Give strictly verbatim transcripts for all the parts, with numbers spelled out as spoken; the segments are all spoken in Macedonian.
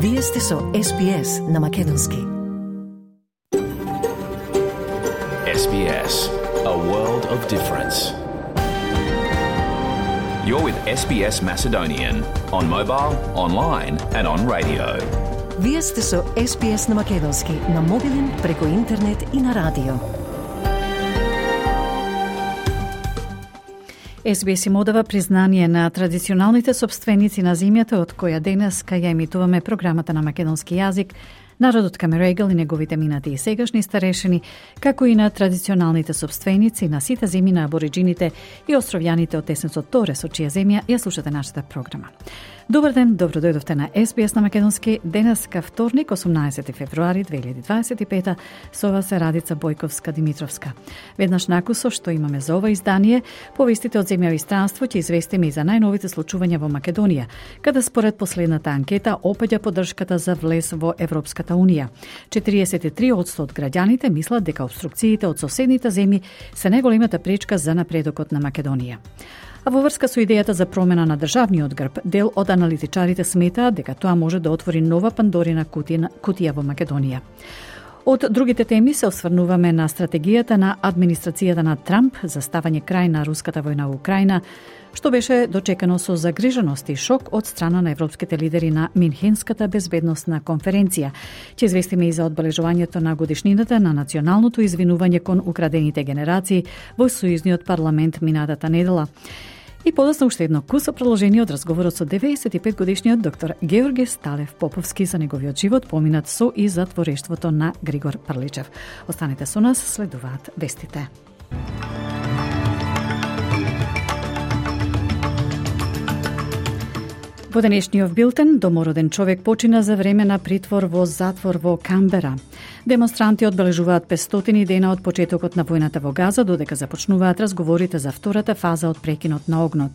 Вие сте со Ес Би Ес на Македонски. Ес Би Ес, a world of difference. You're with Ес Би Ес Macedonian on mobile, online and on radio. Вие сте со Ес Би Ес на Македонски, на мобилен, преку интернет и на радио. Ес Би Ес им одава признание на традиционалните собственици на земјата од која денес кај ја емитуваме програмата на македонски јазик, народот Камерегал и неговите минати и сегашни старешини, како и на традиционалните собственици на сите земји на абориджините и островјаните од тесенцот Торес, од чија земја ја слушате нашата програма. Добар ден, добро дојдовте на Ес Би Ес на Македонски. Денес ка вторник, осумнаесети февруари две илјади дваесет и пета, со вас е Радица Бојковска-Димитровска. Веднаш накусо што имаме за ова издание, повестите од земја и странство ќе известиме и за најновите случувања во Македонија, каде според последната анкета опаѓа поддршката за влез во Европската Унија. четириесет и три одсто од граѓаните мислат дека обструкциите од соседните земји се најголемата пречка за напредокот на Македонија. А во врска со идејата за промена на државниот грб, дел од аналитичарите сметаат дека тоа може да отвори нова Пандорина кутија, кутија во Македонија. Од другите теми се осврнуваме на стратегијата на администрацијата на Трамп за ставање крај на руската војна во Украина, што беше дочекано со загриженост и шок од страна на европските лидери на Минхенската безбедносна конференција. Ќе известиме и за одбележувањето на годишнината на националното извинување кон украдените генерации во Сојузниот парламент минатата недела. И подоцна уште едно кусо продолжение од разговорот со деветдесет и пет годишниот доктор Георги Сталев Поповски за неговиот живот, поминат со и затворештвото на Григор Прличев. Останете со нас, следуваат вестите. Во денешниот билтен, домороден човек почина за време на притвор во затвор во Камбера. Демонстранти одбележуваат петстотини дена од почетокот на војната во Газа, додека започнуваат разговорите за втората фаза од прекинот на огнот.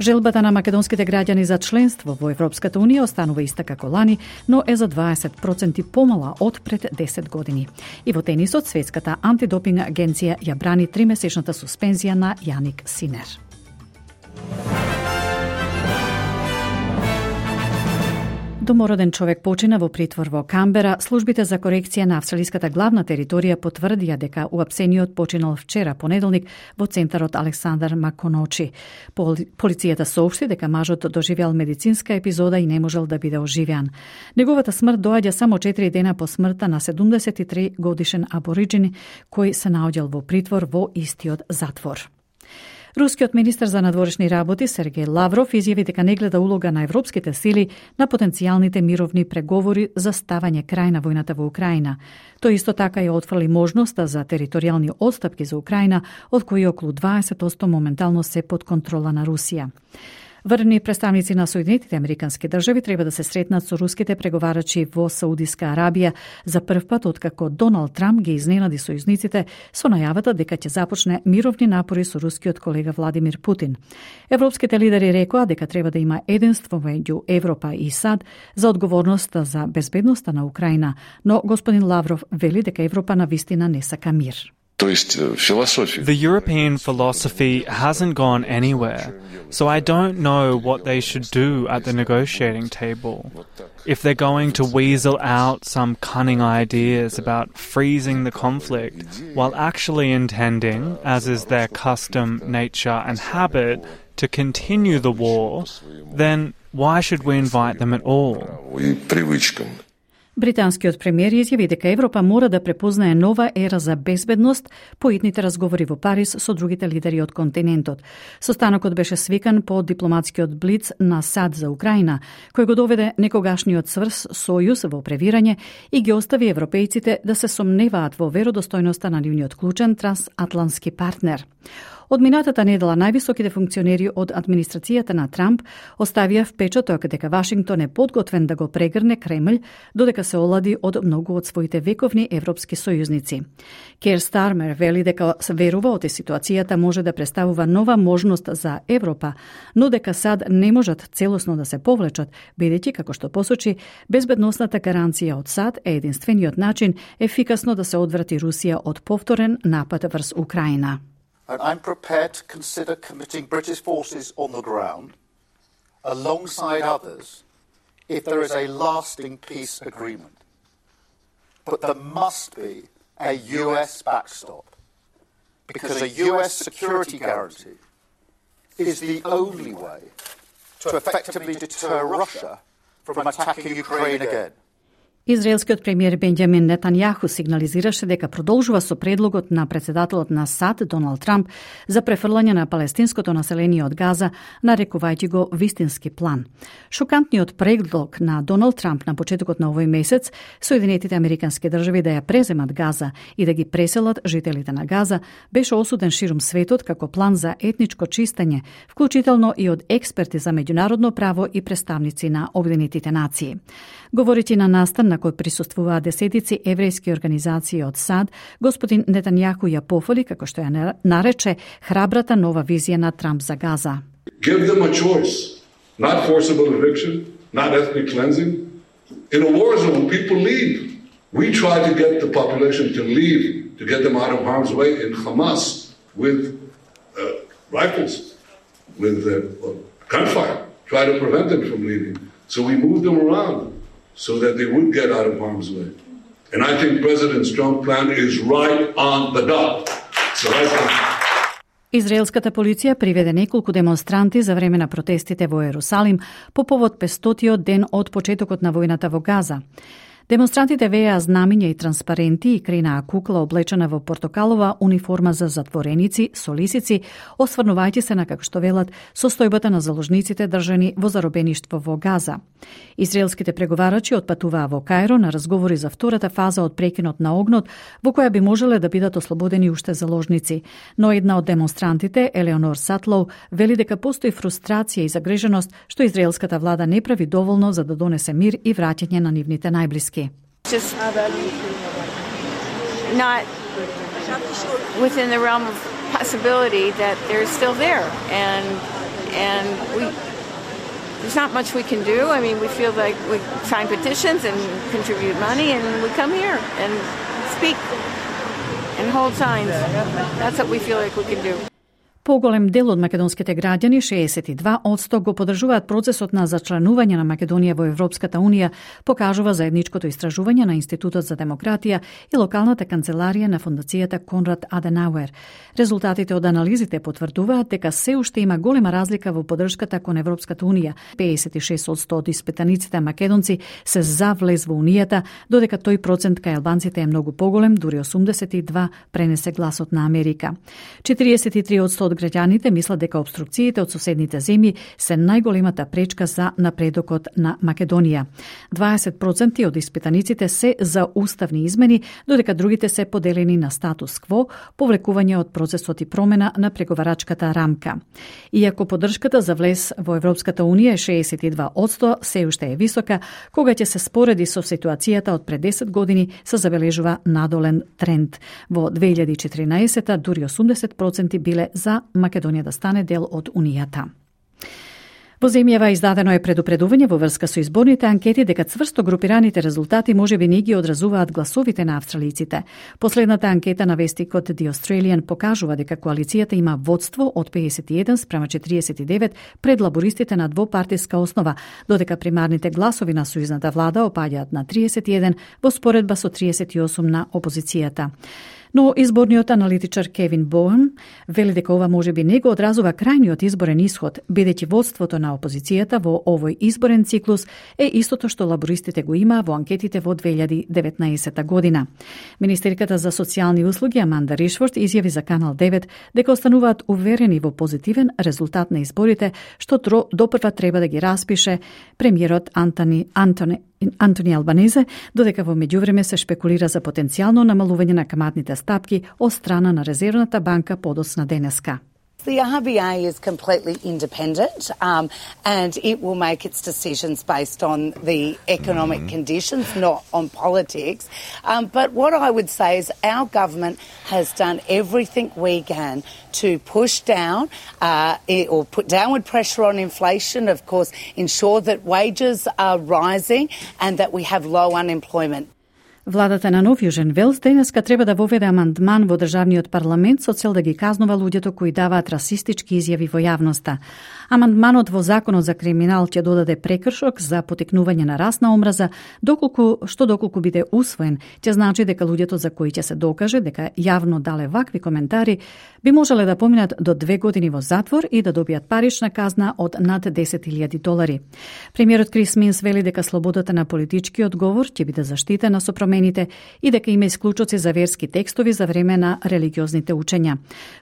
Желбата на македонските граѓани за членство во Европската Унија останува иста како лани, но е за дваесет проценти помала од пред десет години. И во тенисот, Светската антидопинг агенција ја брани тримесечната суспензија на Јаник Синер. Домороден човек почина во притвор во Камбера. Службите за корекција на австралиската главна територија потврдија дека уапсениот починал вчера понеделник во центарот Александар Маконочи. Полицијата соопшти дека мажот доживеал медицинска епизода и не можел да биде оживеан. Неговата смрт доаѓа само четири дена по смртта на седумдесет и три годишен абориджин кој се наоѓал во притвор во истиот затвор. Рускиот министер за надворешни работи Сергеј Лавров изјави дека не гледа улога на европските сили на потенцијалните мировни преговори за ставање крај на војната во Украина. Тој исто така ја отфрли можноста за територијални отстапки за Украина, од кои околу дваесет одсто моментално се под контрола на Русија. Врвни представници на Соединетите Американски држави треба да се сретнат со руските преговарачи во Саудиска Арабија за прв пат откако Доналд Трамп ги изненади сојузниците со најавата дека ќе започне мировни напори со рускиот колега Владимир Путин. Европските лидери рекоа дека треба да има единство меѓу Европа и САД за одговорноста за безбедноста на Украина, но господин Лавров вели дека Европа навистина не сака мир. The European philosophy hasn't gone anywhere, so I don't know what they should do at the negotiating table. If they're going to weasel out some cunning ideas about freezing the conflict while actually intending, as is their custom, nature and habit, to continue the war, then why should we invite them at all? Британскиот премиер изјави дека Европа мора да препознае нова ера за безбедност по итните разговори во Париз со другите лидери од континентот. Состанокот беше свикан по дипломатскиот блиц на САД за Украина, кој го доведе некогашниот цврст сојуз во превирање и ги остави европејците да се сомневаат во веродостојноста на нивниот клучен трансатлантски партнер. Од минатата недела највисоките функционери од администрацијата на Трамп оставија впечаток дека Вашингтон е подготвен да го прегрне Кремљ, додека се олади од многу од своите вековни европски сојузници. Кер Стармер вели дека верува оти ситуацијата може да представува нова можност за Европа, но дека САД не можат целосно да се повлечат, бидејќи, како што посочи, безбедносната гаранција од САД е единствениот начин ефикасно да се одврати Русија од повторен напад врз Украина. And I'm prepared to consider committing British forces on the ground alongside others if there is a lasting peace agreement. But there must be a U S backstop, because a U S security guarantee is the only way to effectively deter Russia from attacking Ukraine again. Израелскиот премиер Бенџамин Нетањаху сигнализираше дека продолжува со предлогот на претседателот на САД Доналд Трамп за префрлање на палестинското население од Газа, нарекувајќи го вистински план. Шокантниот предлог на Доналд Трамп на почетокот на овој месец, Соединетите Американски држави да ја преземат Газа и да ги преселат жителите на Газа, беше осуден ширум светот како план за етничко чистење, вклучително и од експерти за меѓународно право и представници на Обединетите нации. Говорејќи на настан на кој присуствуваа десетици еврејски организации од САД, господин Нетањаху ја пофали, како што ја нарече, храбрата нова визија на Трамп за Газа. Give them a choice, not forcible eviction, not ethnic cleansing. In a war zone, people leave. We try to get the population to leave, to get them out of harm's way in Hamas with uh, rifles, with uh, gunfire, try to prevent them from leaving. So we move them around so that they would get out of harm's way. And I think President Trump's plan is right on the dot. So right on. Израелската полиција приведе неколку демонстранти за време на протестите во Ерусалим по повод петстотиот ден од почетокот на војната во Газа. Демонстрантите вееа знамиња и транспаренти и кренаа кукла облечена во портокалова униформа за затвореници со лисици, осврнувајќи се на, како што велат, состојбата на заложниците држани во заробеништво во Газа. Израелските преговарачи отпатуваа во Кајро на разговори за втората фаза од прекинот на огнот, во која би можеле да бидат ослободени уште заложници. Но една од демонстрантите, Елеонор Сатлоу, вели дека постои фрустрација и загриженост што израелската влада не прави доволно за да донесе мир и враќање на нивните најблиски. Just not within the realm of possibility that they're still there, and and we there's not much we can do. I mean, we feel like we sign petitions and contribute money, and we come here and speak and hold signs. That's what we feel like we can do. Поголем дел од македонските граѓани, шеесет и два одсто, го поддржуваат процесот на зачленување на Македонија во Европската Унија, покажува заедничкото истражување на Институтот за демократија и локалната канцеларија на Фондацијата Конрад Аденауер. Резултатите од анализите потврдуваат дека се уште има голема разлика во поддршката кон Европската Унија. пеесет и шест одсто од испитаниците македонци се за влез во Унијата, додека тој процент кај албанците е многу поголем, дури осумдесет и два пренесе гласот на Америка. четириесет и три одсто од граѓаните мислат дека обструкциите од соседните земји се најголемата пречка за напредокот на Македонија. дваесет проценти од испитаниците се за уставни измени, додека другите се поделени на статус кво, повлекување од процесот и промена на преговарачката рамка. Иако поддршката за влез во Европската Унија е шеесет и два одсто, се уште е висока, кога ќе се спореди со ситуацијата од пред десет години, се забележува надолен тренд. Во две илјади и четиринаесета дури осумдесет проценти биле за Македонија да стане дел од Унијата. Во земјава издадено е предупредување во врска со изборните анкети дека цврсто групираните резултати можеби не ги одразуваат гласовите на австралиците. Последната анкета на вестикот The Australian покажува дека коалицијата има водство од пеесет и еден спрема четириесет и девет пред лабористите на двопартиска основа, додека примарните гласови на сојузната влада опаѓаат на триесет и еден во споредба со триесет и осум на опозицијата. Но изборниот аналитичар Кевин Боуен вели дека ова можеби не го одразува крајниот изборен исход, бидејќи водството на опозицијата во овој изборен циклус е истото што лабористите го има во анкетите во две илјади и деветнаесета година. Министерката за социјални услуги Аманда Ришфорд изјави за Канал девет дека остануваат уверени во позитивен резултат на изборите, што допрва треба да ги распише премиерот Антони Антони Антони Албанезе, додека во меѓувреме се шпекулира за потенцијално намалување на каматните стапки од страна на Резервната банка подоцна денеска. The R B A is completely independent um, and it will make its decisions based on the economic mm-hmm. conditions, not on politics. Um, but what I would say is our government has done everything we can to push down uh, it, or put downward pressure on inflation, of course, ensure that wages are rising and that we have low unemployment. Владата на Нов Јужен Велс денеска треба да воведе амандман во државниот парламент со цел да ги казнува луѓето кои даваат расистички изјави во јавноста. Амандманот во Законот за криминал ќе додаде прекршок за потекнување на расна омраза, доколку што доколку биде усвоен, ќе значи дека луѓето за кои ќе се докаже дека јавно дале вакви коментари би можеле да поминат до две години во затвор и да добијат парична казна од над десет илјади долари. Премиерот Крис Минс вели дека слободата на политичкиот говор ќе биде заштитена со промените и дека има исклучоци за верски текстови за време на религиозните учења.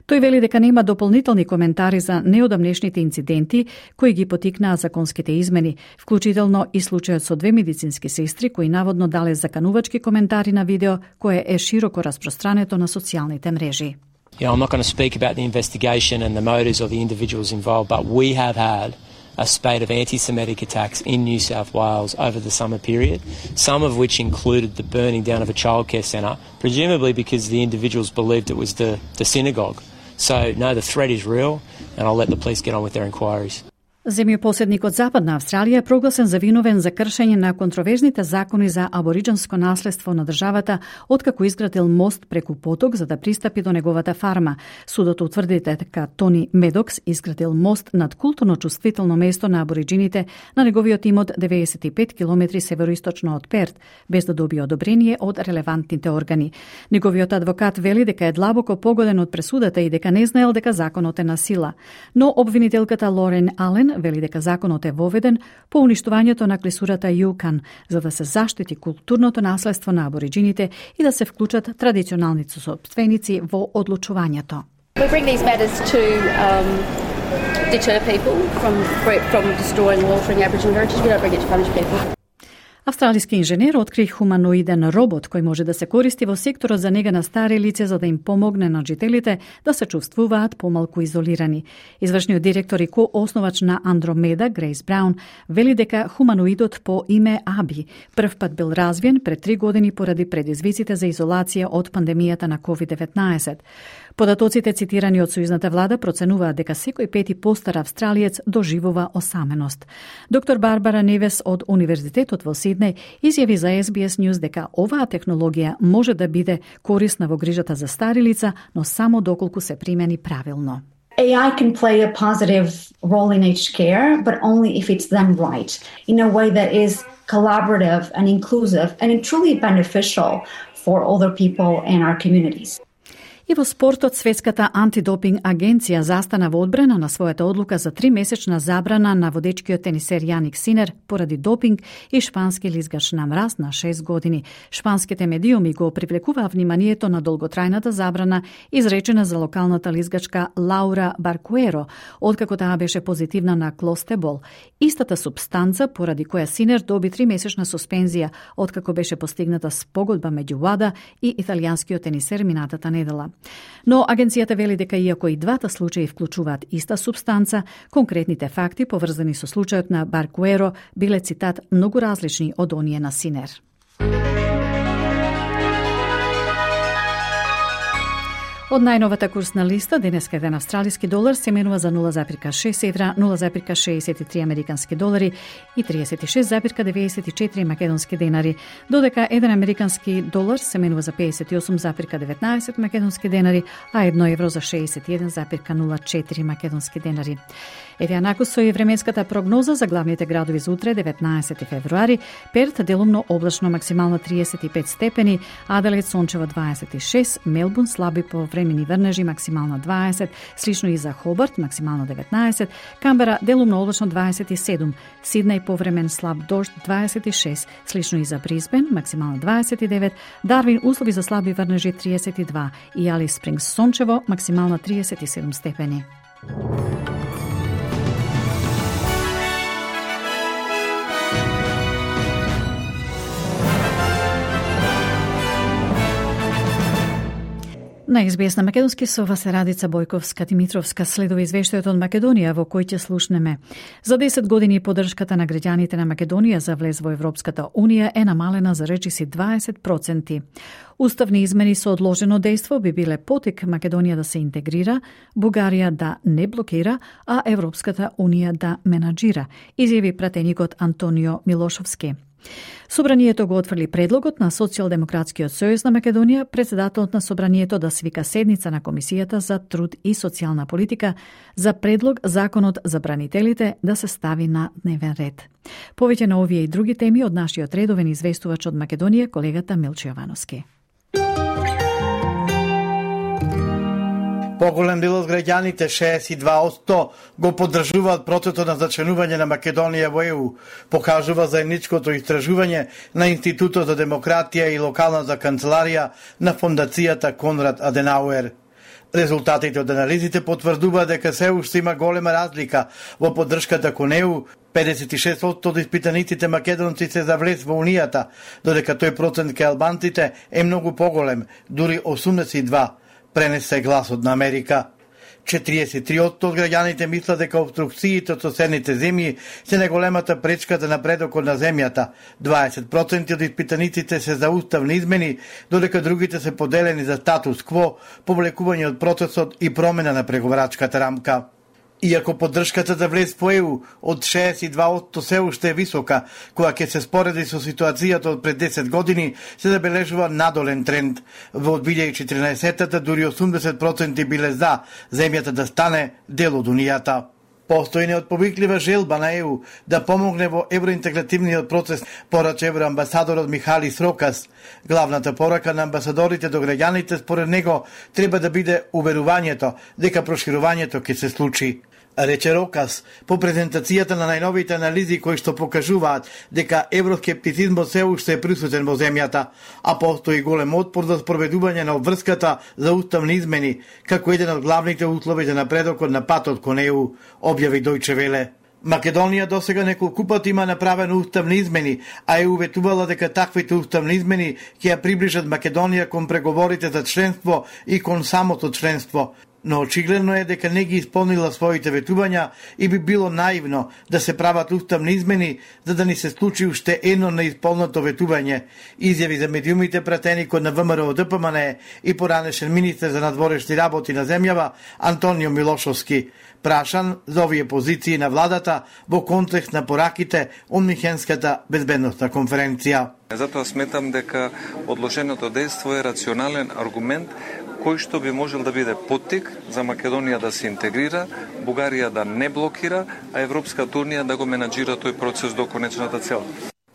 Тој вели дека нема дополнителни коментари за неодамнешните инциденти кои ги потикнаа законските измени, вклучително и случајот со две медицински сестри кои наводно дале заканувачки коментари на видео кое е широко распространето на социјалните мрежи. You know, I'm not going to speak about the investigation and the motives of the individuals involved, but we have had a spate of anti-Semitic attacks in New South Wales over the summer period, some of which included the burning down of a childcare centre, presumably because the individuals believed it was the, the synagogue. So, no, the threat is real, and I'll let the police get on with their inquiries. Земјопоседникот Западна Австралија е прогласен за виновен за кршење на контроверзните закони за абориџанско наследство на државата откако изградил мост преку поток за да пристапи до неговата фарма. Судот утврди дека Тони Медокс изградил мост над културно чувствително место на абориџините на неговиот имот деветдесет и пет километри североисточно од Перт, без да добие одобрение од релевантните органи. Неговиот адвокат вели дека е длабоко погоден од пресудата и дека не знаел дека законот е на сила. Но обвинителката Лорен Ален вели дека законот е воведен по уништувањето на клисурата Јукан, за да се заштити културното наследство на абориџините и да се вклучат традиционалните собственици во одлучувањето. We bring these matters to um, deter people from from destroying or altering Aboriginal heritage. We don't bring it to punish people. Австралиски инженер откри хуманоиден робот кој може да се користи во секторот за нега на стари лица за да им помогне на жителите да се чувствуваат помалку изолирани. Извршниот директор и коосновач на Андромеда, Грейс Браун, вели дека хуманоидот по име Аби прв пат бил развиен пред три години поради предизвиците за изолација од пандемијата на ковид деветнаесет. Податоците цитирани од сојузната влада проценуваат дека секој пети постар австралиец доживува осаменост. Доктор Барбара Невес од Универзитетот во Сиднеј изјави за Ес Би Ес News дека оваа технологија може да биде корисна во грижата за стари лица, но само доколку се примени правилно. A I can play a positive role in aged care, but only if it's done right, in a way that is collaborative and inclusive and truly beneficial for older people in our communities. И во спортот, Светската антидопинг агенција застана во одбрана на својата одлука за тримесечна забрана на водечкиот тенисер Јаник Синер поради допинг и шпански лизгач на мраз на шест години. Шпанските медиуми го привлекуваа вниманието на долготрајната забрана изречена за локалната лизгачка Лаура Баркуеро, откако таа беше позитивна на клостебол, истата субстанца поради која Синер доби тримесечна суспензија откако беше постигната спогодба меѓу ВАДА и италијанскиот тенисер минатата недела. Но агенцијата вели дека иако и двата случаи вклучуваат иста субстанца, конкретните факти поврзани со случајот на Баркуеро биле, цитат, многу различни од оние на Синер. Од најновата курсна листа, денеска еден австралиски долар се менува за нула запирка шест евра, нула запирка шеесет и три американски долари и триесет и шест запирка деветдесет и четири македонски денари, додека еден американски долар се менува за пеесет и осум запирка деветнаесет македонски денари, а едно евро за шеесет и еден запирка нула четири македонски денари. Еве анаку со и временската прогноза за главните градови за утре, деветнаесети февруари. Перт делумно облачно, максимално триесет и пет степени, Аделаид сончево дваесет и шест, Мелбурн слаби повремени врнежи, максимално дваесет, слично и за Хобарт, максимално деветнаесет, Камбера делумно облачно дваесет и седум, Сиднеј повремен слаб дожд дваесет и шест, слично и за Брисбен, максимално дваесет и девет, Дарвин услови за слаби врнежи триесет и два и Алис Спрингс сончево, максимално триесет и седум степени. На Ес Би Ес на македонски со вас е Радица Бојковска-Димитровска. Следува извештајот од Македонија во кој ќе слушнеме. За десет години поддршката на граѓаните на Македонија за влез во Европската Унија е намалена за речиси дваесет проценти. Уставни измени со одложено дејство би биле потик Македонија да се интегрира, Бугарија да не блокира, а Европската Унија да менаџира, изјави пратеникот Антонио Милошовски. Собранието го отфрли предлогот на Социјалдемократскиот сојуз на Македонија, председателот на Собранието да свика седница на Комисијата за труд и социјална политика за предлог законот за бранителите да се стави на дневен ред. Повеќе на овие и други теми од нашиот редовен известувач од Македонија, колегата Милчо Јовановски. Поголем дел од граѓаните, шеесет и два одсто, го поддржуваат процесот на зачленување на Македонија во Е У, покажува заедничкото истражување на Институтот за демократија и локалната канцеларија на Фондацијата Конрад Аденауер. Резултатите од анализите потврдуваат дека се уште има голема разлика во поддршката кон Е У. педесет и шест одсто од испитаниците македонци се за влез во Унијата, додека тој процент кај албанците е многу поголем, дури осумдесет и два. Пренесе гласот на Америка. четириесет и три одсто од граѓаните мислат дека обструкциите од соседните земји се најголемата пречка за напредокот на земјата. дваесет проценти од испитаниците се за уставни измени, додека другите се поделени за статус кво, повлекување од процесот и промена на преговарачката рамка. Иако поддршката за влез по Е У од шеесет и два одсто се уште е висока, кога ќе се спореди со ситуацијата од пред десет години, се забележува надолен тренд. Во две илјади и четиринаесетта дури осумдесет проценти биле за земјата да стане дел од Унијата. Постои неотповиклива желба на Е У да помогне во евроинтегративниот процес, порача евроамбасадорот Михали Срокас. Главната порака на амбасадорите до граѓаните според него треба да биде уверувањето дека проширувањето ќе се случи. Рече Рокас по презентацијата на најновите анализи кои што покажуваат дека евроскептицизмот се уште е присутен во земјата, а постои голем отпор за спроведување на обврската за уставни измени, како еден од главните услови за напредокот на патот кон Е У, објави Дојче Веле. Македонија досега неколку пати има направено уставни измени, а Е У ветувала дека таквите уставни измени ќе ја приближат Македонија кон преговорите за членство и кон самото членство. Но очигледно е дека не ги исполнила своите ветувања и би било наивно да се прават уставни измени за да ни се случи уште едно неисполнато ветување, изјави за медиумите пратени код на Вэ Ем Р О Д П М Н Е и поранешен министер за надворешни работи на земјава Антонио Милошовски, прашан за овие позиции на владата во контекст на пораките од Михенската безбедносна конференција. Затоа сметам дека одложеното дејство е рационален аргумент кој што би можел да биде поттик за Македонија да се интегрира, Бугарија да не блокира, а Европската Унија да го менаџира тој процес до конечната цел.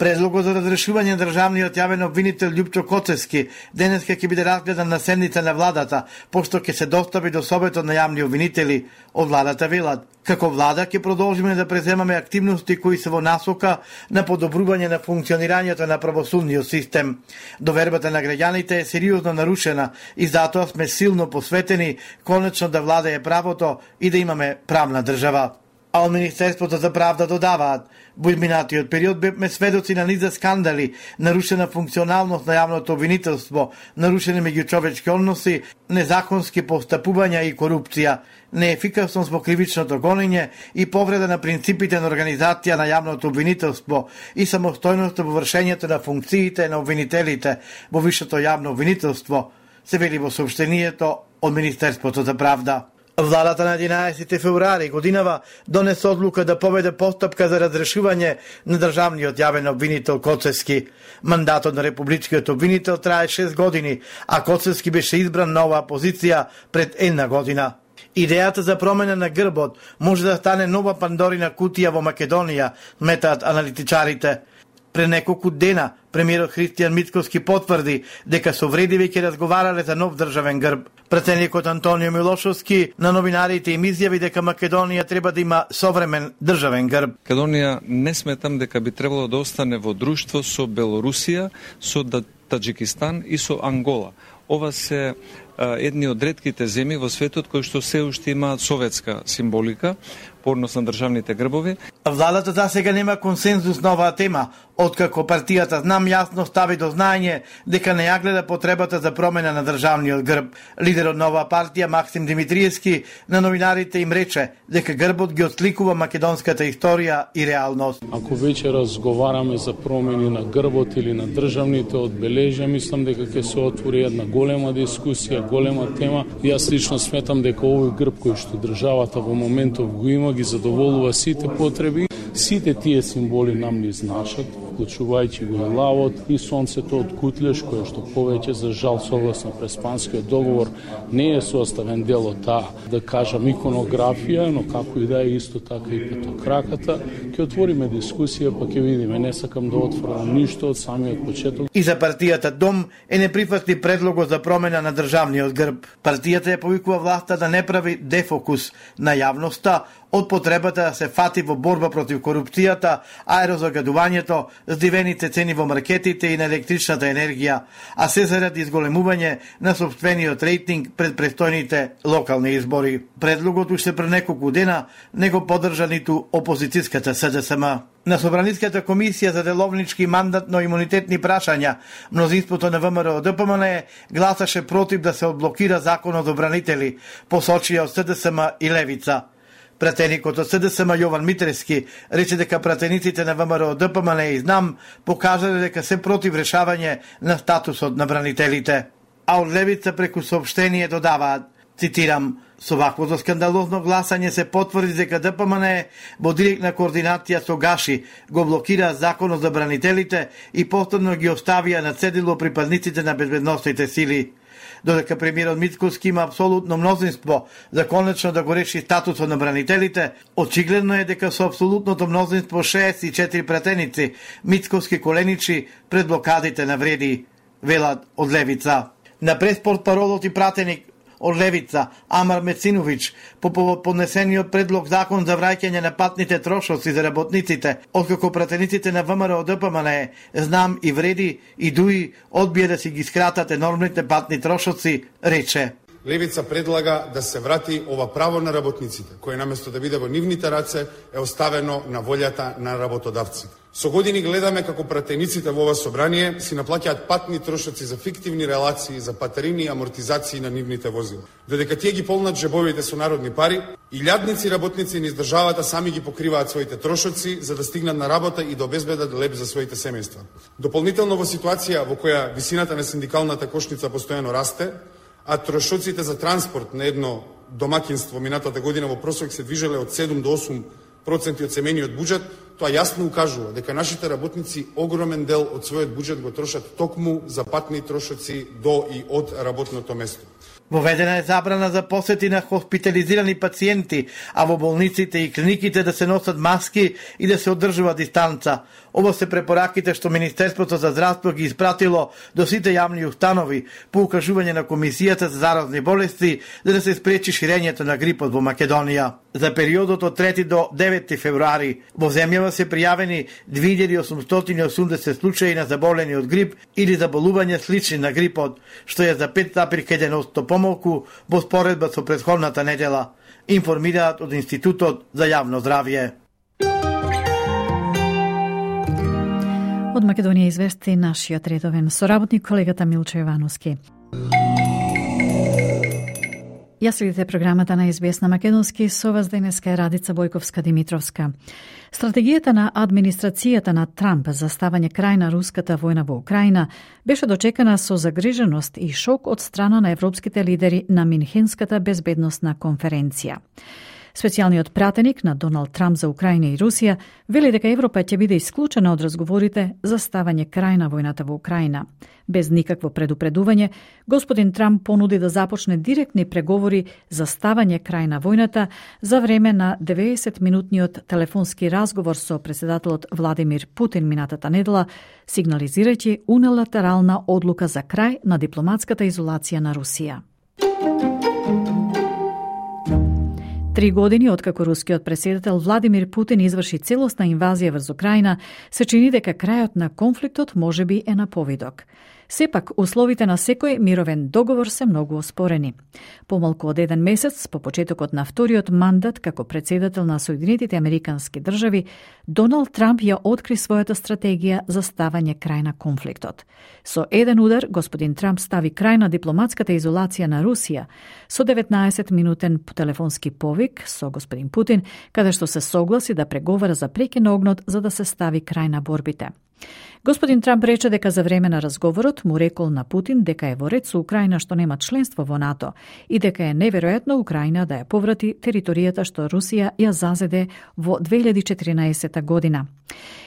Предлогот за разрешување на државниот јавен обвинител Љупчо Коцевски денеска ќе биде разгледан на седница на владата, пошто ќе се достави до Советот на јавни обвинители. Од владата велат: како влада ќе продолжиме да преземаме активности кои се во насока на подобрување на функционирањето на правосудниот систем. Довербата на граѓаните е сериозно нарушена и затоа сме силно посветени конечно да владае правото и да имаме правна држава. А од Министерството за правда додаваат: во изминатиот период бевме сведоци на низа скандали, нарушена функционалност на јавното обвинителство, нарушени меѓучовечки односи, незаконски постапувања и корупција, неефикасност во кривичното гонење и повреда на принципите на организација на јавното обвинителство и самостојност во вршењето на функциите на обвинителите во висшето јавно обвинителство, се вели во соопштението од Министерството за правда. Владата на единаесети февруари годинава донесе одлука да поведе постапка за разрешување на државниот јавен обвинител Коцевски. Мандатот на републичкиот обвинител трае шест години, а Коцевски беше избран на оваа позиција пред една година. Идејата за промена на грбот може да стане нова Пандорина кутија во Македонија, метаат аналитичарите. Пред неколку дена премиерот Христијан Мицкоски потврди дека со Вредиве ќе разговарале за нов државен грб. Претседникот Антонио Милошовски на новинарите им изјави дека Македонија треба да има современ државен грб. Македонија не сметам дека би требало да остане во друштво со Белорусија, со Таџикистан и со Ангола. Ова се едни од ретките земји во светот кои што се уште имаат советска символика по однос на државните грбови. Владата за сега нема консензус на оваа тема, откако партијата Знам јасно стави до знаење дека не ја гледа потребата за промена на државниот грб. Лидерот на оваа партија Максим Димитриевски на новинарите им рече дека грбот ги отсликува македонската историја и реалност. Ако веќе разговараме за промени на грбот или на државните одбележја, мислам дека ќе се отвори една голема дискусија, голема тема. Јас лично сметам дека овој грб кој што државата во моментов го има ги задоволува сите потреби. Сите тие символи нам ни значат. вклучувајќи го и лавот и сонцето од Кутлеш, кое што повеќе за жал согласно Преспанскиот договор не е составен дел од таа, да кажам, иконографија, но како и да е исто така и петокраката. Ќе отвориме дискусија, па ќе видиме, не сакам да отворам ништо од самиот почеток. И за партијата Дом е неприфатли предлогот за промена на државниот грб. Партијата ја повикува власта да не прави дефокус на јавноста од потребата да се фати во борба против корупцијата, аерозагадувањето, здивените цени во маркетите и на електричната енергија, а се заради изголемување на сопствениот рейтинг пред престојните локални избори. Предлогот уште пред неколку дена не го поддржа ниту опозицијската С Д С М. На Собраниската комисија за деловнички мандатно-имунитетни прашања, мнозинството на В М Р О Д П М Н Е гласаше против да се одблокира законот за бранители, посочија од С Д С М и Левица. Пратеникот од С Д С М Јован Митрески рече дека пратениците на В М Р О Д П М Н Е и Знам покажале дека се против решавање на статусот на бранителите. А од Левица преку соопштение додаваат, цитирам, со ваквото скандалозно гласање се потврди дека Д П М Н Е во директна координација со Гаши го блокира законот за бранителите и повторно ги оставија на цедило припадниците на безбедносните сили. Додека премиерот Мицкоски има апсолутно мнозинство за конечно да го реши статусот на бранителите, очигледно е дека со апсолутното мнозинство шеесет и четири пратеници Мицкоски коленичи пред блокадите на вреди, велат од Левица. На преспорт паролот и пратеник од Левица, Амар Мециновиќ, по повод поднесениот предлог закон за враќање на патните трошоци за работниците, откако пратениците на В М Р О Д П М Н Е, Знам и Вреди и Дуи одбие да си ги скратат енормните патни трошоци, рече: Левица предлага да се врати ова право на работниците, кое наместо да биде во нивните раце е оставено на волјата на работодавците. Со години гледаме како пратениците во ова собрание си наплаќаат патни трошоци за фиктивни релации, за патарини и амортизации на нивните возила. Додека тие ги полнат джебовите со народни пари, илјадници работници низ државата сами ги покриваат своите трошоци за да стигнат на работа и да обезбедат леп за своите семејства. Дополнително во ситуација во која висината на синдикалната кошница постојано расте, а трошоците за транспорт на едно домакинство минатата година во просек се движеле од седум до осум проценти од семејниот буџет, тоа јасно укажува дека нашите работници огромен дел од својот буџет го трошат токму за патни трошоци до и од работното место. Воведена е забрана за посети на хоспитализирани пациенти, а во болниците и клиниките да се носат маски и да се одржува дистанца. Ово се препораките што Министерството за здравство ги испратило до сите јавни установи по укажување на Комисијата за заразни болести за да се спречи ширењето на грипот во Македонија. За периодот од трети до девети февруари во земјава се пријавени две илјади осумстотини и осумдесет случаи на заболени од грип или заболување слични на грипот, што е за пет запир еден одсто помалку во споредба со претходната недела, информираат од Институтот за јавно здравје. Од Македонија извести нашиот редовен соработник колегата Милчо Јовановски. Ја следите програмата на Ес Би Ес на македонски, со вас денеска е Радица Бојковска-Димитровска. Стратегијата на администрацијата на Трамп за ставање крај на руската војна во Украина беше дочекана со загриженост и шок од страна на европските лидери на Минхенската безбедносна конференција. Специјалниот пратеник на Доналд Трамп за Украина и Русија вели дека Европа ќе биде исклучена од разговорите за ставање крај на војната во Украина. Без никакво предупредување, господин Трамп понуди да започне директни преговори за ставање крај на војната за време на деветдесетминутниот телефонски разговор со претседателот Владимир Путин минатата недела, сигнализирајќи унилатерална одлука за крај на дипломатската изолација на Русија. Три години откако рускиот претседател Владимир Путин изврши целосна инвазија врз Украина, се чини дека крајот на конфликтот можеби е на повидок. Сепак, условите на секој мировен договор се многу оспорени. Помалку од еден месец по почетокот на вториот мандат како претседател на Соединетите Американски држави, Доналд Трамп ја откри својата стратегија за ставање крај на конфликтот. Со еден удар, господин Трамп стави крај на дипломатската изолација на Русија со деветнаесетминутен телефонски повик со господин Путин, каде што се согласи да преговара за прекин на огнот за да се стави крај на борбите. Господин Трамп рече дека за време на разговорот му рекол на Путин дека е во ред со Украина што нема членство во НАТО и дека е неверојатно Украина да ја поврати територијата што Русија ја зазеде во две илјади и четиринаесета година.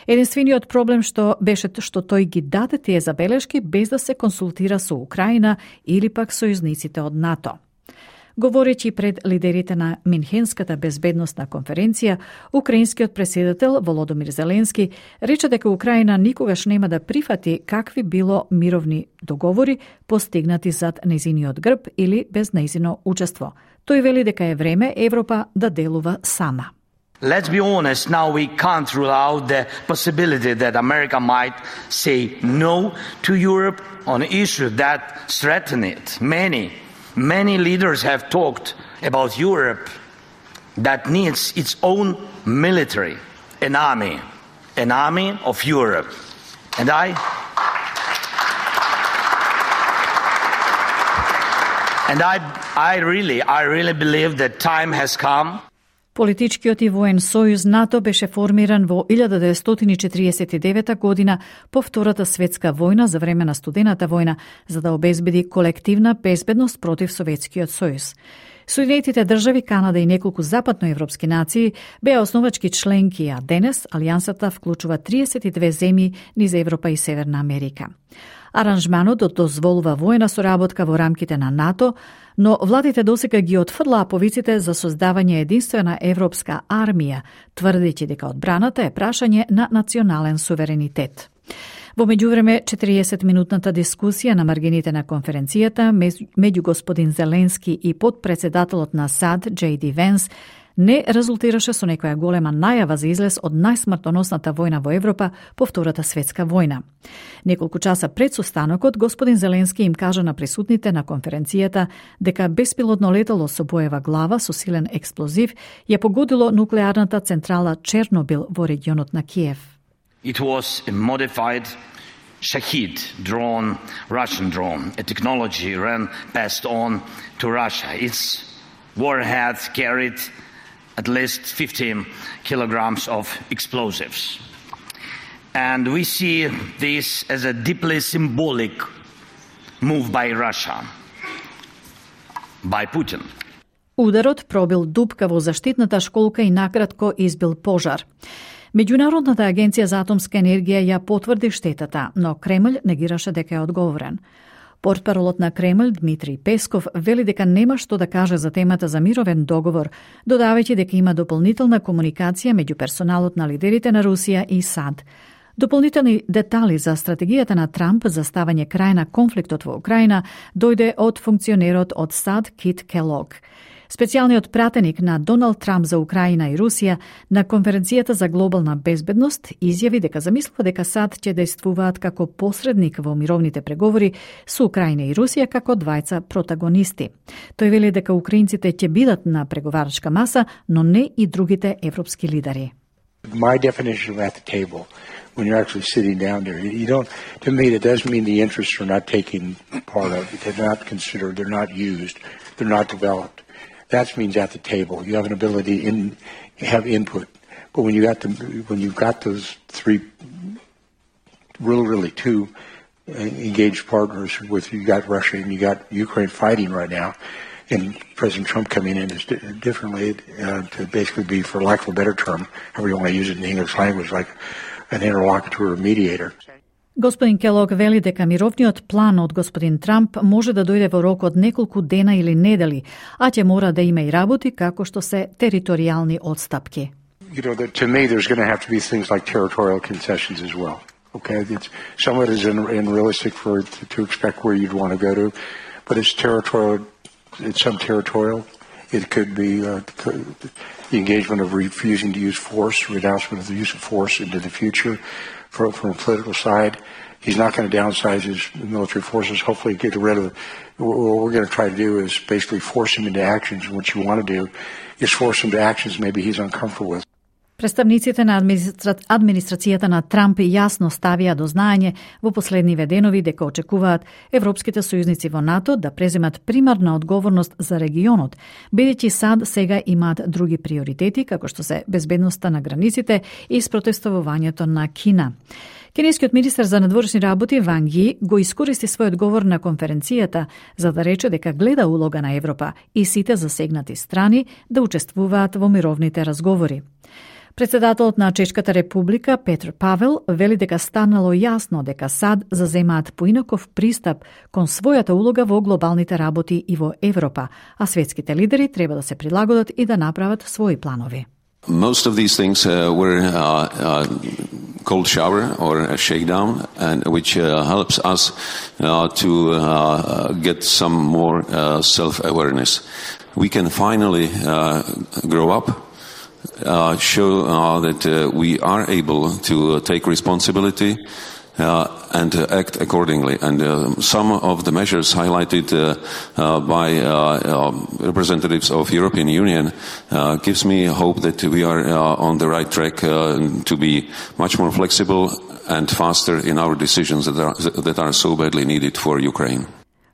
Единствениот проблем што беше што тој ги даде тие забелешки без да се консултира со Украина или пак сојузниците од НАТО. Говорејќи пред лидерите на Минхенската безбедносна конференција, украинскиот претседател Володомир Зеленски рече дека Украина никогаш нема да прифати какви било мировни договори постигнати зад нејзиниот грб или без нејзино учество. Тој вели дека е време Европа да делува сама. Let's be honest, now we can't rule out the possibility that America might say no to Europe on an issue that threatens it. Many Many leaders have talked about Europe that needs its own military, an army, an army of Europe. And I, and I, I really, I really believe that time has come. Политичкиот и воен сојуз НАТО беше формиран во илјада деветстотини и четириесет и девета година по Втората светска војна за време на Студената војна, за да обезбеди колективна безбедност против Советскиот сојуз. Соединетите држави, Канада и неколку западноевропски нации беа основачки членки, а денес алијансата вклучува триесет и две земји низ Европа и Северна Америка. Аранжманот дозволува воена соработка во рамките на НАТО, но владите досега ги отфрлаа повиците за создавање единствена европска армија, тврдејќи дека одбраната е прашање на национален суверенитет. Во меѓувреме, четириесетминутната дискусија на маргините на конференцијата меѓу господин Зеленски и подпредседателот на САД, Джей Ди Венс, не резултираше со некоја голема најава за излез од најсмртоносната војна во Европа по Втората светска војна. Неколку часа пред состанокот, господин Зеленски им кажа на присутните на конференцијата дека беспилотно летало со боева глава со силен експлозив ја погодило нуклеарната централа Чернобил во регионот на Киев. It was a modified Shahid drone, Russian drone, a technology ran passed on to Russia. Its warhead carried at least fifteen kilograms of explosives. And we see this as a deeply symbolic move by Russia, by Putin. Ударот пробил дупка во заштитната школка и накратко избил пожар. Меѓународната агенција за атомска енергија ја потврди штетата, но Кремљ негираше дека е одговорен. Портпаролот на Кремљ Дмитрий Песков вели дека нема што да каже за темата за мировен договор, додавајќи дека има дополнителна комуникација меѓу персоналот на лидерите на Русија и САД. Дополнителни детали за стратегијата на Трамп за ставање крај на конфликтот во Украина дојде од функционерот од САД Кит Келог. Специјалниот пратеник на Доналд Трамп за Украина и Русија на конференцијата за глобална безбедност изјави дека замислува дека САД ќе действуваат како посредник во мировните преговори со Украина и Русија како двајца протагонисти. Тој вели дека украинците ќе бидат на преговарачка маса, но не и другите европски лидери. My definition of at the table, when you're actually sitting down there, you don't, to me, that doesn't mean the interests are not taken part of. They're not considered, they're not used, they're not developed. That means at the table. You have an ability in, have input. But when you got the, when you've got those three, really, really two engaged partners with, you got Russia and you got Ukraine fighting right now, and President Trump coming in is differently uh, to basically be, for lack of a better term, however you want to use it in the English language, like an interlocutor or mediator. Господин Келог вели дека мировниот план од господин Трамп може да дојде во рок од неколку дена или недели, а ќе мора да има и работи како што се територијални одстапки. You know, that to me there's going to have to be things like territorial concessions as well. Okay, it's somewhat is unrealistic for to, to expect where you'd want to go to, but it's territorial. It's some territorial. It could be uh, the engagement of refusing to use force, renouncement of the use of force into the future. From, from a political side, he's not going to downsize his military forces. Hopefully get rid of it. What we're going to try to do is basically force him into actions. And what you want to do is force him to actions maybe he's uncomfortable with. Представниците на администра... администрацијата на Трамп јасно ставија до знаење во последниве денови дека очекуваат европските сојузници во НАТО да преземат примарна одговорност за регионот, бидејќи САД сега имаат други приоритети, како што се безбедноста на границите и спротестовувањето на Кина. Кинескиот министер за надворешни работи Ван Ји го искористи својот говор на конференцијата за да рече дека гледа улога на Европа и сите засегнати страни да учествуваат во мировните разговори. Председателот на Чешката република Петр Павел вели дека станало јасно дека САД заземаат поинаков пристап кон својата улога во глобалните работи и во Европа, а светските лидери треба да се прилагодат и да направат своји планови. Most of these things uh, were uh, uh, cold shower or a shakedown, and which uh, helps us uh, to uh, get some more uh, self-awareness. We can finally uh, grow up, uh, show uh, that uh, we are able to take responsibility Uh, and uh, act accordingly. And uh, some of the measures highlighted uh, uh, by uh, uh, representatives of European Union uh, gives me hope that we are uh, on the right track uh, to be much more flexible and faster in our decisions that are, that are so badly needed for Ukraine.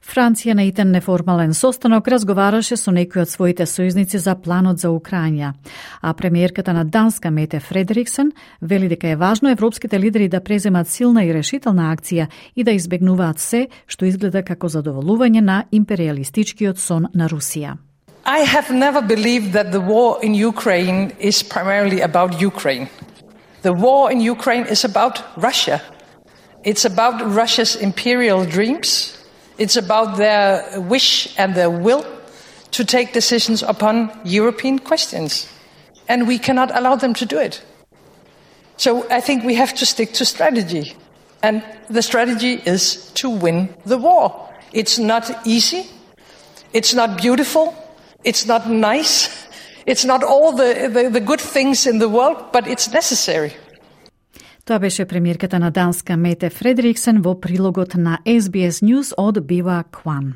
Франција на итен неформален состанок разговараше со некои од своите сојузници за планот за Украина, а премиерката на Данска Мете Фредериксен вели дека е важно европските лидери да преземат силна и решителна акција и да избегнуваат се што изгледа како задоволување на империалистичкиот сон на Русија. I have never believed that the war in Ukraine is primarily about Ukraine. The war in Ukraine is about Russia. It's about Russia's imperial dreams. It's about their wish and their will to take decisions upon European questions. And we cannot allow them to do it. So I think we have to stick to strategy. And the strategy is to win the war. It's not easy. It's not beautiful. It's not nice. It's not all the, the, the good things in the world, but it's necessary. Тоа беше премиерката на Данска Мете Фредериксен во прилогот на Ес Би Ес News од Бива Кван.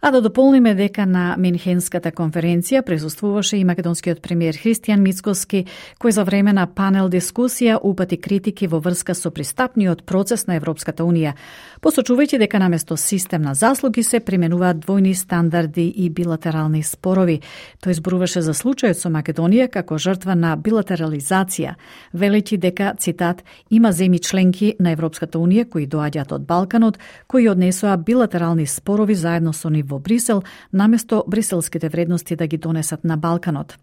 А да дополниме дека на Минхенската конференција присуствуваше и македонскиот премиер Христијан Мицкоски, кој за време на панел дискусија упати критики во врска со пристапниот процес на Европската Унија, посочувајќи дека наместо систем на заслуги се применуваат двојни стандарди и билатерални спорови. Тој зборуваше за случајот со Македонија како жртва на билатерализација, велејќи дека, цитат, има земји членки на Европската Унија кои доаѓаат од Балканот, кои однесоа билатерални спорови заедно со нив во Брисел, наместо бриселските вредности да ги донесат на Балканот.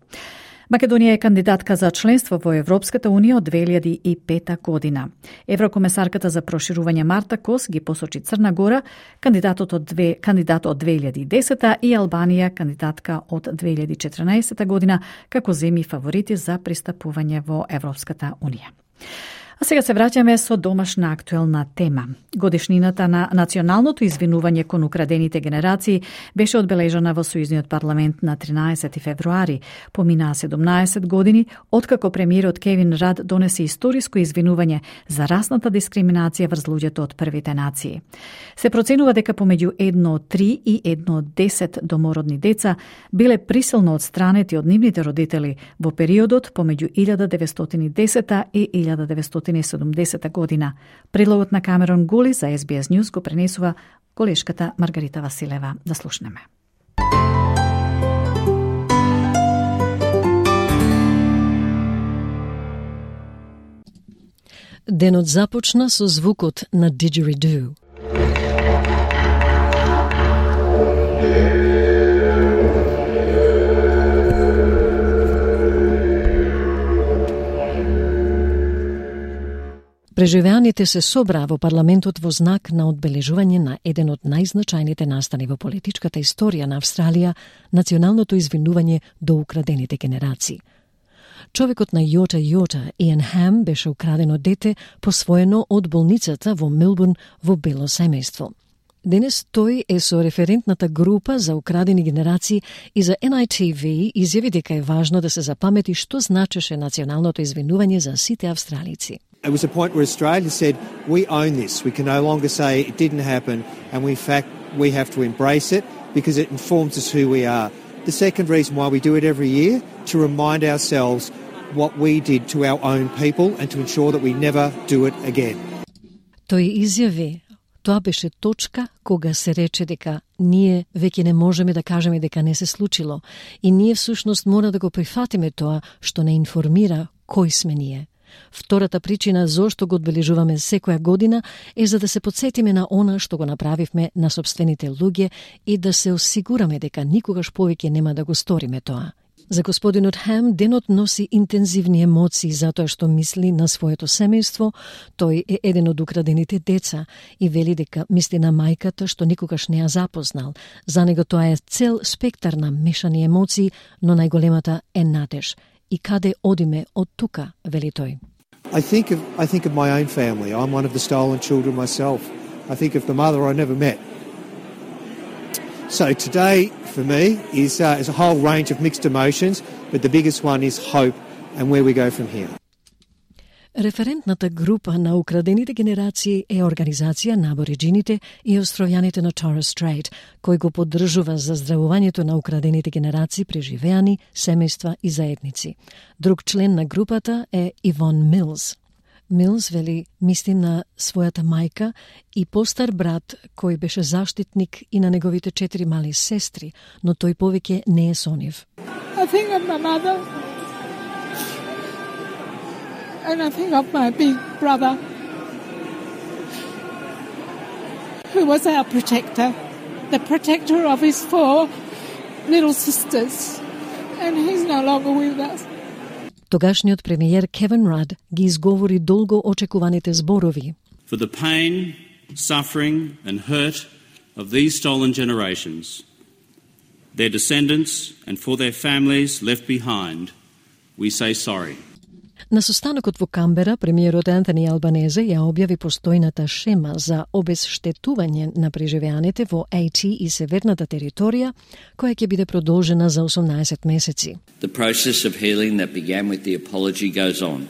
Македонија е кандидатка за членство во Европската Унија од две илјади и пета година. Еврокомесарката за проширување Марта Кос ги посочи Црна Гора, кандидатот од две, кандидат од две илјади и десета и Албанија, кандидатка од две илјади и четрнаесета година, како земји фаворити за пристапување во Европската Унија. А сега се враќаме со домашна актуелна тема. Годишнината на националното извинување кон украдените генерации беше одбележана во Сојузниот парламент на тринаесети февруари. Поминаа седумнаесет години откако премиерот Кевин Рад донесе историско извинување за расната дискриминација врз луѓето од првите нации. Се проценува дека помеѓу едно од три и едно од десет домородни деца биле присилно одстранети од нивните родители во периодот помеѓу илјада деветстотини и десета и илјада деветстотини и седумдесета година. Прилогот на Камерон Гули за Ес Би Ес News го пренесува колешката Маргарита Василева. Да слушнеме. Денот започна со звукот на Didgeridoo. Преживеаните се собраа во парламентот во знак на одбележување на еден од најзначајните настани во политичката историја на Австралија, националното извинување до украдените генерации. Човекот на Йота Йота, Иан Хам, беше украдено дете посвоено од болницата во Мелбурн во бело семејство. Денес тој е со референтната група за украдени генерации и за Ен Ај Ти Ви изјави дека е важно да се запамети што значеше националното извинување за сите австралици. It was a point where Australia said, we own this. We can no longer say it didn't happen, and we, in fact, we have to embrace it because it informs us who we are. The second reason why we do it every year, to remind ourselves what we did to our own people and to ensure that we never do it again. Тој изјави, тоа беше точка кога се рече дека ние веќе не можеме да кажеме дека не се случило и ние всушност мора да го прифатиме тоа што не информира кој сме ние. Втората причина зошто го одбележуваме секоја година е за да се потсетиме на она што го направивме на сопствените луѓе и да се осигураме дека никогаш повеќе нема да го сториме тоа. За господинот Хем, денот носи интензивни емоции затоа што мисли на своето семејство. Тој е еден од украдените деца и вели дека мисли на мајката што никогаш не ја запознал. За него тоа е цел спектар на мешани емоции, но најголемата е надеж. И каде одиме од тука, вели тој. I think of I think of my own family. I'm one of the stolen children myself. I think of the mother I never met. So today, for me, is, uh, is a whole range of mixed emotions, but the biggest one is hope and where we go from here. Референтната група на украдените генерации е организација на абориджините и островјаните на Торres Strait, кој го поддржува заздравувањето на украдените генерации преживеани, семејства и заедници. Друг член на групата е Ивон Милс. Милс вели мисли на својата мајка и постар брат кој беше заштитник и на неговите четири мали сестри, но тој повеќе не е со нив. I think of my mother and I think of my big brother who was our protector, the protector of his four little sisters, and he's no longer with us. Тогашниот премиер Кевин Рад ги изговори долго очекуваните зборови. For the pain, suffering and hurt of these stolen generations, their descendants and for their families left behind, we say sorry. На состанокот во Камбера, премиерот Антони Албанезе ја објави постојната шема за обезштетување на преживеаните во Ей Ти и северната територија, која ќе биде продолжена за осумнаесет месеци. The process of healing that began with the apology goes on.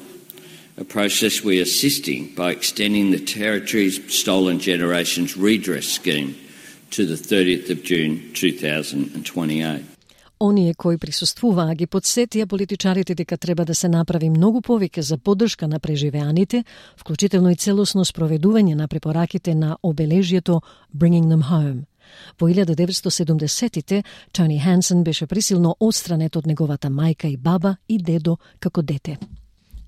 A process we are assisting by extending the territory's stolen generations redress scheme to the thirtieth of June two thousand twenty-eight. Оние кои присуствуваа ги подсетија политичарите дека треба да се направи многу повеќе за поддршка на преживеаните, вклучително и целосно спроведување на препораките на обележјето Bringing Them Home. Во илјада деветстотини и седумдесеттите Тони Хансен беше присилно отстранет од неговата мајка и баба и дедо како дете.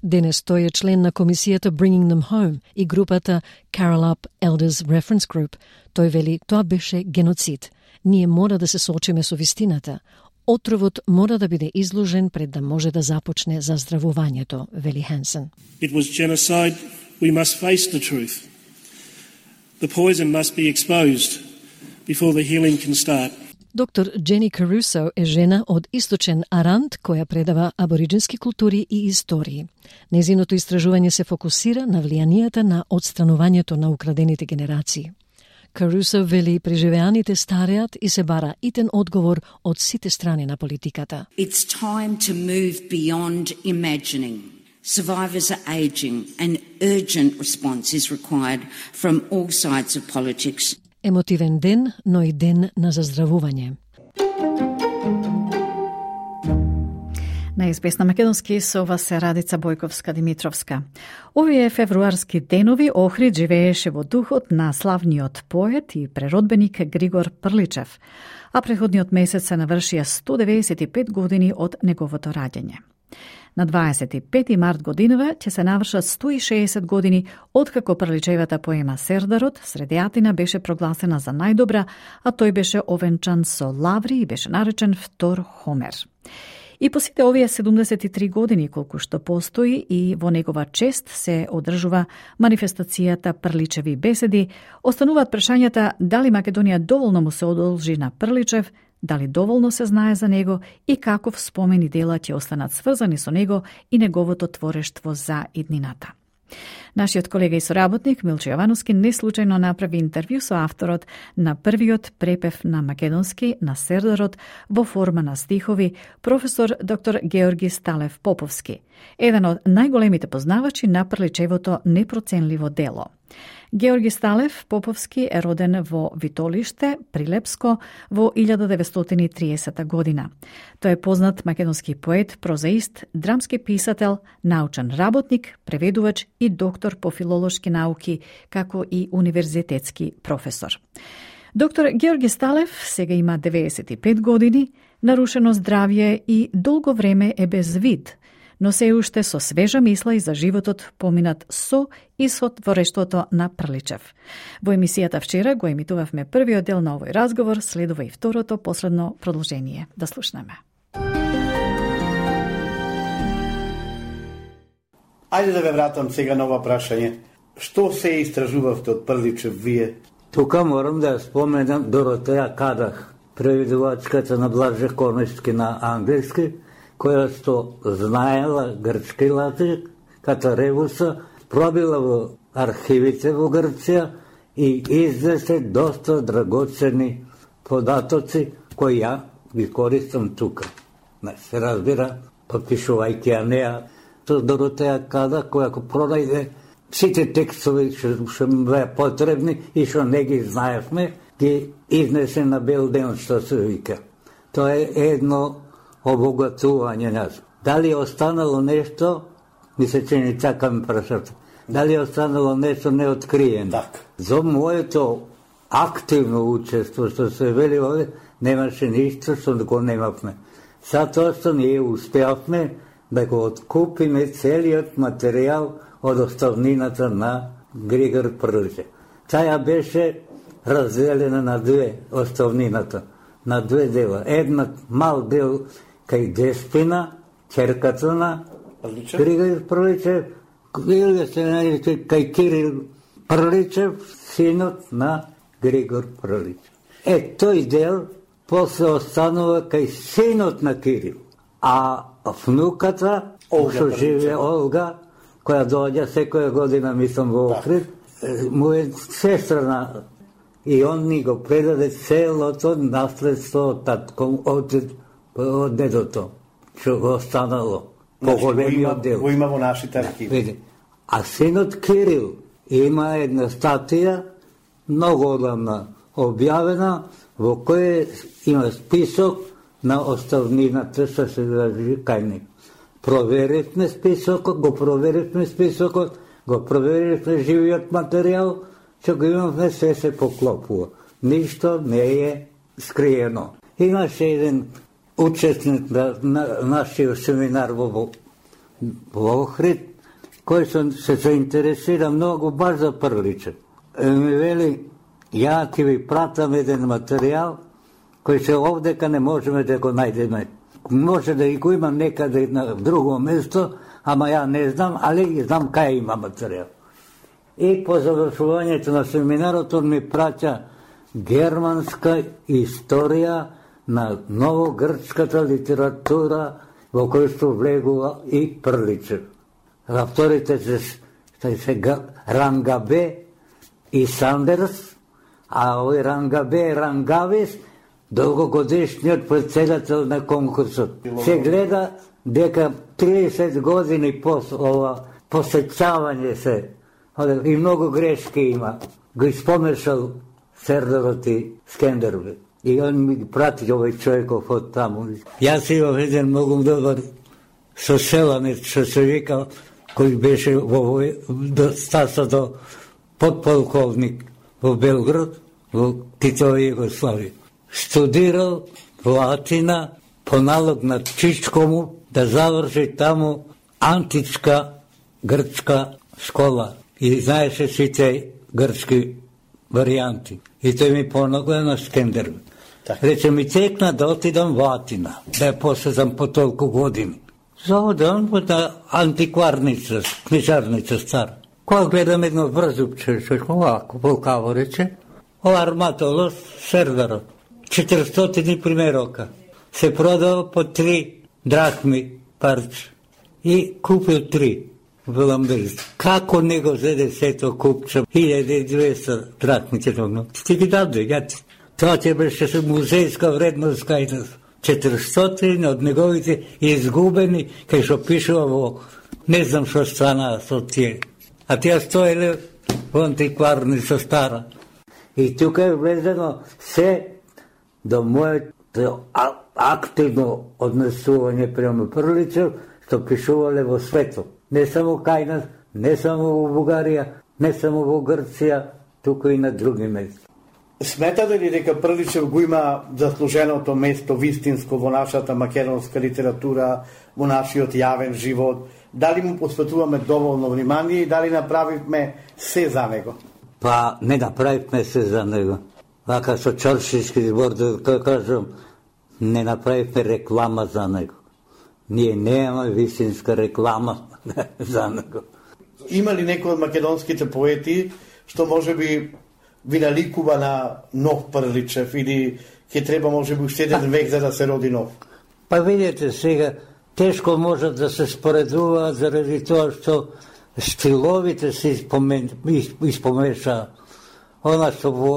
Денес тој е член на комисијата Bringing Them Home и групата Carolup Elders Reference Group. Тој вели, тоа беше геноцид. Ние мора да се соочиме со вистината. Отровот мора да биде изложен пред да може да започне заздравувањето, вели Хансен. It was genocide. We must face the truth. The poison must be exposed before the healing can start. Доктор Джени Карусо е жена од Источен Арант која предава абориджински култури и истории. Незиното истражување се фокусира на влијанието на отстранувањето на украдените генерации. Карусо вели преживеаните стареат и се бара итен одговор од сите страни на политиката. It's time to move beyond imagining. Survivors are aging and urgent response is required from all sides of politics. Емотивен ден, но и ден на заздравување. На ес би ес на македонски со вас се Радица Бојковска-Димитровска. Овие февруарски денови Охрид живееше во духот на славниот поет и преродбеник Григор Прличев, а предходниот месец се навршија сто деветдесет и пет години од неговото раѓање. На дваесет и пети март годинава ќе се навршат сто и шеесет години откако Прличевата поема Сердарот средијатина беше прогласена за најдобра, а тој беше овенчан со лаври и беше наречен Втор Хомер. И по сите овие седумдесет и три години колку што постои и во негова чест се одржува манифестацијата Прличеви беседи, остануваат прашањата дали Македонија доволно му се одолжи на Прличев, дали доволно се знае за него и каков спомен и дела ќе останат сврзани со него и неговото творештво за иднината. Нашиот колега и соработник Милчо Јовановски неслучајно направи интервју со авторот на првиот препев на македонски на Сердарот во форма на стихови, професор доктор Георги Сталев Поповски, еден од најголемите познавачи на Прличевото непроценливо дело. Георги Сталев Поповски е роден во Витолиште, Прилепско, во илјада деветстотини и триесета година. Тој е познат македонски поет, прозаист, драмски писател, научен работник, преведувач и доктор по филолошки науки, како и универзитетски професор. Доктор Георги Сталев сега има деветдесет и пет години, нарушено здравје и долго време е без вид, но се уште со свежа мисла и за животот поминат со и со творештвото на Прличев. Во емисијата вчера го емитувавме првиот дел на овој разговор, следува и второто, последно продолжение. Да слушнеме. Ајде да ве вратам сега на ова прашање. Што се истражувавте од Прличев вие? Тука морам да споменам Доротеја Кадах, преведувачката на Блаже Конешки на англиски, која што знаела грчки латик, ката Ревуса, пробила во архивите во Грција и изнесе доста драгоцени податоци кои ја ги користам тука. Не се разбира, подпишувајќи ја неа, со Доротеја Кадах, која ако пронајде сите текстови што беа потребни и што не ги знаевме, ги изнесе на бел ден, што се вика. Тоа е едно обогатување нас. Дали останало нешто, ми се чини така ми прашате, дали останало нешто неоткриено. Так. За моето активно учество, што се вели овде, немаше ништо што го немавме. Затоа што ние успеавме да го откупиме целиот материјал од оставнината на Григор Прличев. Таа беше разделена на две оставнината, на две дела. Една мал дел кај Деспина, ќерката на Григор Прличев, или се нарича кај Кирил Прличев, синот на Григор Прличев. Е, тој дел после останува кај синот на Кирил, а внуката, што живе Олга, која доаѓа секоја година, мислам, во Охрид, му е сестра и он ни го предаде целото наследство од татком, од, од дедото, што го останало, поголемиот дел. Го има во нашите архиви. А синот Кирил има една статија, многу одамна објавена, во која има список на оставнината што се држи кај него. Проверивме списокот, го проверивме списокот, го проверивме живиот материјал, што го имавме, се се поклопува. Ништо не е скриено. Имаше еден учесник на, на нашиот семинар во, во Охрид, кој се заинтересира многу баш за Прличев. Ми вели, ја ќе ви пратам еден материјал, кој се овдека не можеме да го најдеме. Може да и го имам некаде на друго место, ама ја не знам, али знам кај има материјал. И по завршувањето на семинарот он ми праќа германска историја на новогрчката литература во кој што влегува и Прличев. Авторите се, се Рангабе и Сандерс, а овој Рангабе Рангавис, долгогодишниот председател на конкурсот. Се гледа дека триесет години после ова посеќавање се и многу грешки има. Го испомешал Сердарот и Скендербе. И он ми прати овој човеков од таму. Јас имам еден многу добар соселанец, што се вика, кој беше во стасото подполковник во Белград, во Титова Југославија. Студирал во Атина по налог на Чичкому да заврши таму античка грчка школа и знаеше сите грчки варијанти. И тој ми понагла на Скендербе. Рече ми текна да отидам во Атина, да ја посетам по толку години. Заодам во та антикварница, книжарница стара. Кога гледам едно врзупче, што овако, волкаво рече, ова арматолос Сердарот. четиристотини примерока. Се продава по три драхми парче. И купил три во Ламберис. Како не го зеде сето купче? илјада и двеста драхми ќе тогно. Ти ги даде, ја ти. Тоа ќе беше музејска вредност кај нас. четиристотини од неговите изгубени, кај што пишува во не знам што стана со тие. А тие стоеле во антикварница стара. И тука е влезено се до моето активно однесување према Прличев, што пишувале во светот. Не само кај нас, не само во Бугарија, не само во Грција, туку и на други места. Сметате ли дека Прличев го има заслуженото место вистинско во нашата македонска литература, во нашиот јавен живот? Дали му посветуваме доволно внимание и дали направивме се за него? Па не направивме се за него. Вака со чоршички збор да кажам, не направивме реклама за него. Ние немаме вистинска реклама за него. Има ли некој од македонските поети што може би ви наликува на нов Прличев или ќе треба може би уште еден век за да се роди нов? Па видите сега, тешко можат да се споредуваат заради тоа што стиловите се испомен, испомеша. Она што во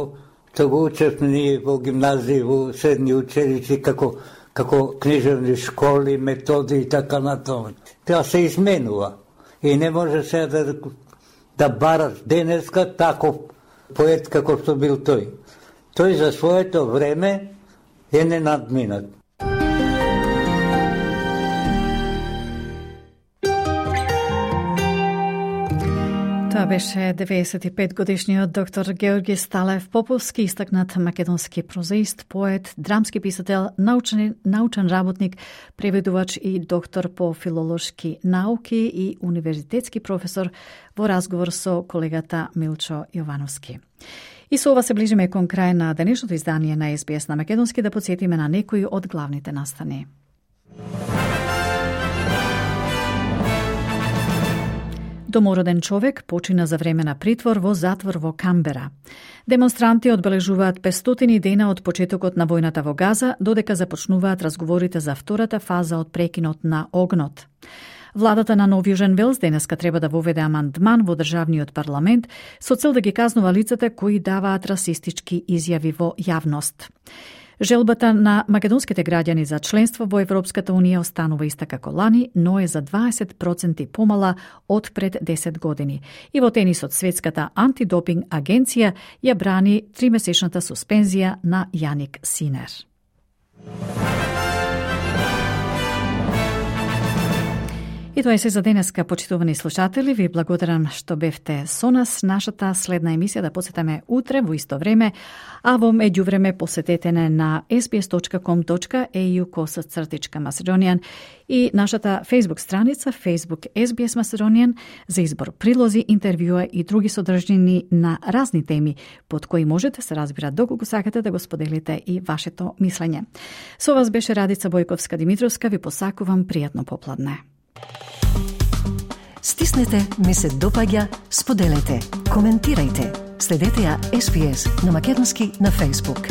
што го учевме ние во гимназии, во средни училишти, како, како книжевни школи, методи и така натаму. Тоа се изменува. И не може сега да, да бараш денеска таков поет како што бил тој. Тој за своето време е ненадминат. Тоа беше деветдесет и пет годишниот доктор Георги Сталев Поповски, истакнат македонски прозаист, поет, драмски писател, научен, научен работник, преведувач и доктор по филолошки науки и универзитетски професор во разговор со колегата Милчо Јовановски. И со ова се ближиме кон крај на денешното издание на Ес Би Ес на македонски, да подсетиме на некои од главните настани. Домороден човек почина за време на притвор во затвор во Камбера. Демонстранти одбележуваат петстотини дена од почетокот на војната во Газа, додека започнуваат разговорите за втората фаза од прекинот на огнот. Владата на Нов Јужен Велс денеска треба да воведе амандман во државниот парламент со цел да ги казнува лицата кои даваат расистички изјави во јавност. Желбата на македонските граѓани за членство во Европската Унија останува иста како лани, но е за дваесет проценти помала од пред десет години. И во тенисот Светската антидопинг агенција ја брани тримесечната суспензија на Јаник Синер. И тоа е се за денеска, почитувани слушатели. Ви благодарам што бевте со нас. Нашата следна емисија да посетаме утре во исто време, а во меѓувреме посетете не на ес би ес точка ком точка ей ю косацртичка Macedonian и нашата Facebook страница Facebook Ес Би Ес Macedonian за избор прилози, интервјуа и други содржини на разни теми под кои можете се разбира доколку сакате да го споделите и вашето мислење. Со вас беше Радица Бојковска-Димитровска. Ви посакувам пријатно попладне. Стиснете, ми се допаѓа, споделете, коментирајте. Следете ја Ес Би Ес на македонски на Facebook.